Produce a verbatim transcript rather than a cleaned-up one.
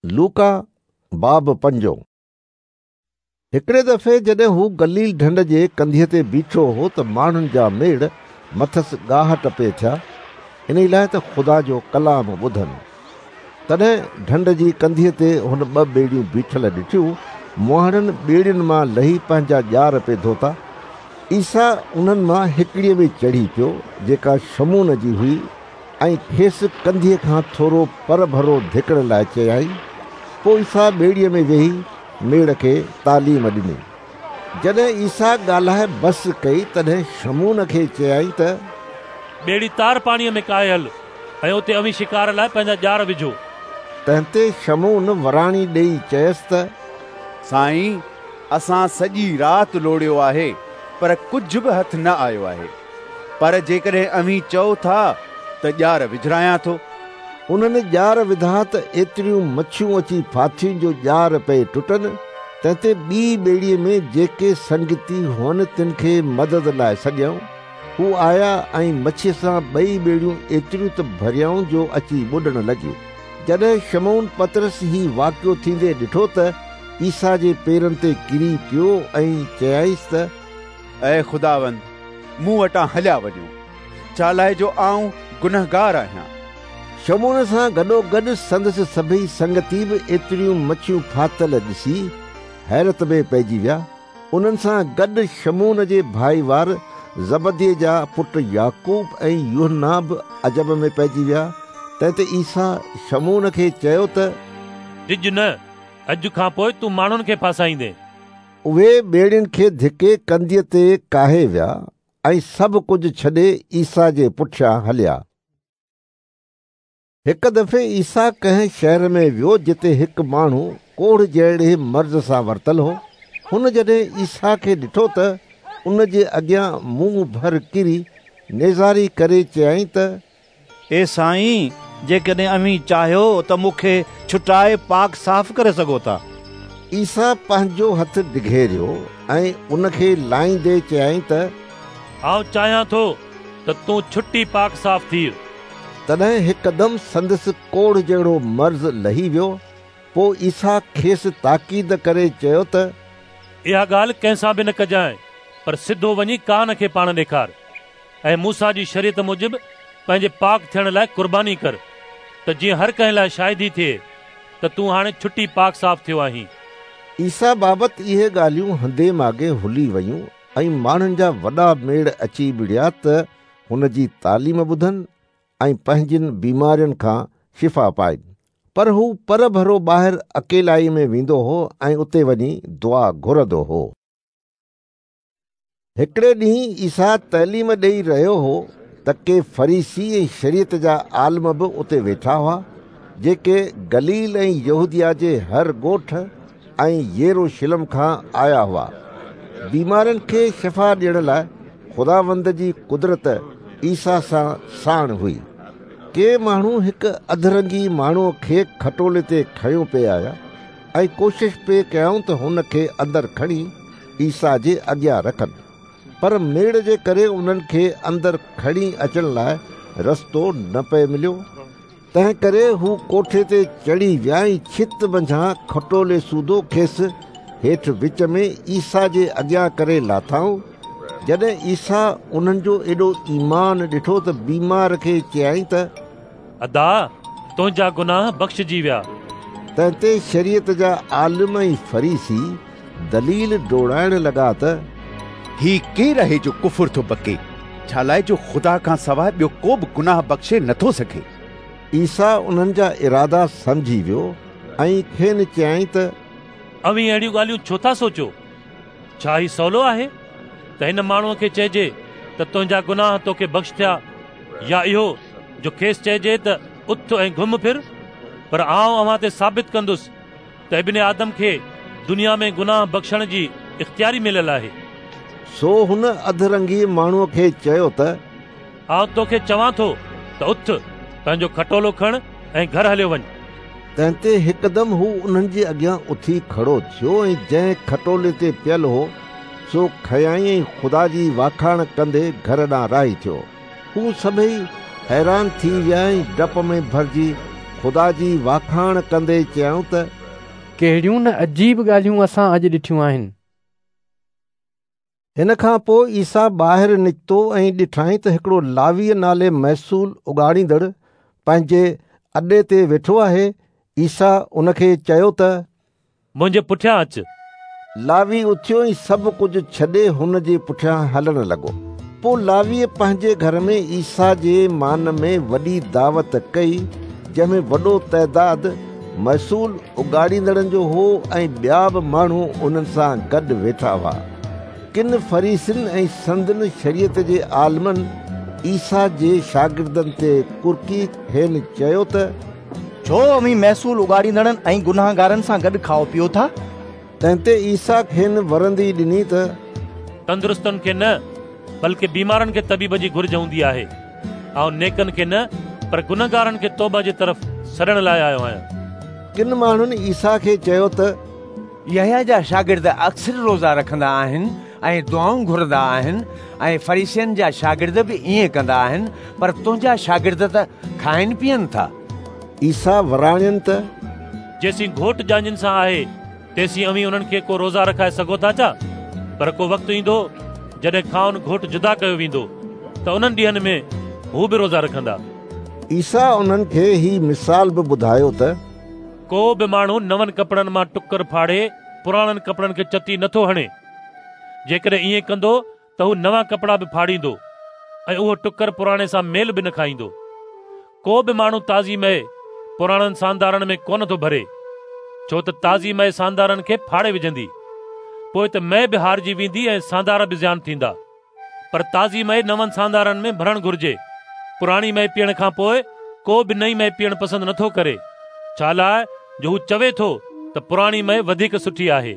लूका बाब पंजो। हिकिड़े दफ़े जॾहिं हू गलील ढंढ जे कंधीअ ते बीठो हो त माण्हुनि जा मेड़ मथसि ॻाहट पे थिया, इन लाइ त ख़ुदा जो कलाम ॿुधनि। तॾहिं ढंढ जी कंधीअ ते हुन ॿ ॿेड़ियूं बीठल ॾिठियूं। मुहाणनि ॿेड़ियुनि मां लही पंहिंजा ॼार पे धोता। ईसा उन्हनि मां हिकिड़ीअ में चढ़ी पियो, जेका शमून जी हुई, ऐं खेसि कंधीअ खां थोरो परभरो धिकण लाइ चयाईं। पोइ ईसा ॿेड़ीअ में वेही मेड़ खे तालीम ॾिनी। जॾहिं ईसा ॻाल्हाए बसि कई, तॾहिं शमून खे चयाईं त ॿेड़ी तार पाणीअ में काहे हल ऐं उते अव्हीं शिकार लाइ पंहिंजा ॼार विझो। तंहिं ते शमून वराणी ॾेई चयसि त साईं, असां सॼी राति लोड़ियो आहे, पर कुझु बि हथु न आयो आहे। पर जेकॾहिं अव्हीं चओ था त ॼार विझरायां थो। उन्हनि ॼार विधा त एतिरियूं मच्छियूं अची फाथियूं जो ॼार पए टुटनि। तंहिं ते ॿी ॿेड़ीअ में जेके संगती हुअनि तिन खे मदद लाइ सॾियऊं। हू आया ऐं मच्छीअ सां ॿई ॿेड़ियूं एतिरियूं त भरियऊं जो अची ॿुॾण लॻियूं। जॾहिं शमून पतरस ही वाक़ियो थींदे ॾिठो त ईसा जे पेरनि ते किरी पियो ऐं चयाईंसि त ऐ ख़ुदावंद, मूं वटां हलिया वञो, छा लाइ जो आउं गुनहगार आहियां। शमून सां गॾोगॾु संदसि सभई संगती बि एतिरियूं मच्छियूं फातल ॾिसी हैरत में पइजी विया। उन्हनि सां गॾु शमून जे भाईवार ज़बदीअ जा पुट याकूब ऐं यूहन्ना बि अजब में पइजी विया। तंहिं ते ईसा शमून खे चयो त डिॼ न, अॼु खां पोइ तूं माण्हुनि खे फासाईंदे। उहे ॿेड़ियुनि खे धिके कंधीअ ते काहे विया ऐं सभु कुझु छॾे ईसा जे पुठियां हलिया। हिकु दफ़े ईसा कंहिं शहर में वियो जिते हिकु माण्हू कोढ़ जहिड़े मर्ज़ सां वरितल हो। हुन जॾहिं ईसा खे ॾिठो त उन जे अॻियां मुंहुं भर किरी नेज़ारी करे चयाईं त ए साईं, जेकॾहिं अव्हीं चाहियो त मूंखे छुटाए पाक साफ़ करे सघो था। ईसा पंहिंजो हथु डिघेरियो ऐं उनखे लाहींदे चयाईं त आउं चाहियां थो त तूं छुटी पाक साफ़ थी। तॾहिं हिकदमि संदसि कोढ़ जहिड़ो मर्ज़ लही वियो। पोइ ईसा खेसि ताकीद करे चयो त इहा ॻाल्हि कंहिंसां बि न कजांइ, पर सिधो वञी कान खे पाण ॾेखार ऐं मूसा जी शरीयत मूजिबि पंहिंजे पाक थियण लाइ क़ुर्बानी कर, त जीअं हर कंहिं लाइ शाहिदी थिए त तूं हाणे छुटी पाक साफ़ थियो आहीं। ईसा बाबति इहे ॻाल्हियूं हंधे माॻे हुली वयूं ऐं माण्हुनि जा वॾा मेड़ अची मिड़िया त हुन जी तालीम ॿुधनि ऐं पंहिंजनि बीमारियुनि खां शिफ़ा पाइनि। पर हू पर भरो ॿाहिरि अकेलाई में वेंदो हो ऐं उते वञी दुआ घुरंदो हो। हिकिड़े ॾींहुं ईसा तइलीम ॾेई रहियो हो त के फरीसी ऐं शरीयत जा आलम बि उते वेठा हुआ, जेके गलील ऐं यहूदिया जे हर ॻोठ ऐं यरूशलेम खां आया हुआ। बीमारनि खे शफ़ा ॾियण लाइ ख़ुदावंद जी कुदरत ईसा सां साण हुई। के माण्हू हिकु अधरंगी माण्हूअ खे खटोले ते खयों पे आया ऐं कोशिश पे कयाऊं त हुन खे अंदरि खणी ईसा जे अॻियां रखनि, पर मेड़ जे करे उन्हनि खे अंदरि खणी अचण लाइ रस्तो न पए मिलियो। तंहिं करे हू कोठे ते चढ़ी विया ऐं छित मंझां खटोले सूधो खेसि हेठि विच में ईसा जे अॻियां करे लाथाऊं। जॾहिं ईसा उन्हनि जो एॾो ईमान ॾिठो त बीमार खे चयाईं त अदा, तुंहिंजा गुनाह बख़्शजी विया। तंहिं ते शरीयत जा आलिम ऐं फरीसी दलील डोड़ाइण लॻा त ही केरु आहे जो कुफुर थो बके? छा लाइ जो ख़ुदा खां सवाइ ॿियो को बि गुनाह बख़्शे नथो सघे। ईसा उन्हनि जा इरादा सम्झी वियो ऐं खेनि चयाईं त अव्हीं अहिड़ियूं ॻाल्हियूं छो था सोचो? छा ही सवलो आहे त हिन माण्हूअ खे चइजे त तुंहिंजा गुनाह तोखे बख़्श थिया, या इहो जो खेसि चइजे त उथ ऐं घुम फिर? पर आउं अव्हां ते साबित कंदुसि त इब्न आदम खे दुनिया में गुनाह बख़्शण जी इख़्तियारी मिलियल आहे। सो हुन अधरंगी माण्हूअ खे चयो त आउं तोखे चवां थो त उथ, पंहिंजो खटोलो खण ऐं घर हलियो वञ। तंहिं ते हिकदमि हू उन्हनि जे अॻियां उथी खड़ो थियो ऐं जंहिं खटोले ते पियल हो सो खयाईं ऐं ख़ुदा जी वाखाण कंदे घर ॾांहुं राही थियो। हू सभई हैरान थी विया ऐं डप में भरिजी خدا جي واکاڻ ڪندي چيائون ته ڪهڙيون نه عجيب ڳالهيون اسان اڄ ڏٺيون آهن. هن کان پوءِ عيسيٰ ٻاهر نڪتو ۽ ڏٺائين ته هڪڙو لاويءَ نالي محصول اڳاڙيندڙ پنهنجي اڏي تي ويٺو آهي. عيسيٰ ان کي چيو ته منهنجي پٺيان اچ. لاوي اٿيو ۽ سڀ ڪجهه ڇڏي هن جي پٺيان هلڻ لڳو. پوءِ لاويءَ پنهنجي گهر ۾ عيسيٰ جي مان ۾ وڏي دعوت ڪئي، جنهن ۾ وڏو تعداد محصول اڳاڙيندڙن جو هو ۽ ٻيا به ماڻهو انهن سان گڏ ويٺا هئا. ڪن فريسين ۽ سندن شريعت جي عالمن عيسيٰ جي شاگردن تي ڪرڪي کين چيو ته ڇو اوهين محصول اڳاڙيندڙن ۽ گناهگارن سان گڏ کائو پيئو ٿا؟ تنهن تي عيسيٰ کين ورندي ڏني ته تندرستن کي نه بلڪه بيمارن کي طبيب جي گهرج هوندي آهي. آئون نيڪن کي نه پر گنهگارن کي توبه جي طرف سڏڻ لاءِ آيو آهيان. ڪن ماڻهن عيسيٰ کي چيو ته يحيٰ جا شاگرد اڪثر روزا رکندا آهن ۽ دعائون گهرندا آهن ۽ فريسين جا شاگرد به ائين ڪندا آهن، پر تنهنجا شاگرد ته کائن پيئن ٿا. عيسيٰ وراڻين ته جيسين گهوٽ ڄاڃين سان آهي تيسين اوهين انهن کي ڪو روزا رکائي سگهو ٿا ڇا؟ پر ڪو وقت ايندو جڏهن کانئن گهوٽ جدا ڪيو ويندو ته انهن ڏينهن ۾ هو به روزا رکندا. عيسيٰ انهن کي هي مثال به ٻڌايو ته ڪو به ماڻهو نون ڪپڙن مان ٽڪر ڦاڙي پراڻن ڪپڙن کي چتي نٿو هڻي. جيڪڏهن ائين ڪندو ته هو نوان ڪپڙا به ڦاڙيندو ۽ اهو ٽڪر پراڻي سان ميل به نه کائيندو. ڪو به ماڻهو تازي مئي پراڻن ساندارن ۾ ڪونه ٿو ڀري، ڇو ته تازي مئي ساندارن کي ڦاڙي وجهندي، پوءِ ته مئي به هارجي ويندي ۽ ساندار به زيان ٿيندا. پر تازي مئي نون ساندارن ۾ ڀرڻ گهرجي. پراڻي مئي پيئڻ کان پوءِ ڪو به نئين مئي پيئڻ پسند نٿو ڪري، ڇا لاءِ جو هو چوي ٿو ته پراڻي مئي وڌيڪ سٺي آهي.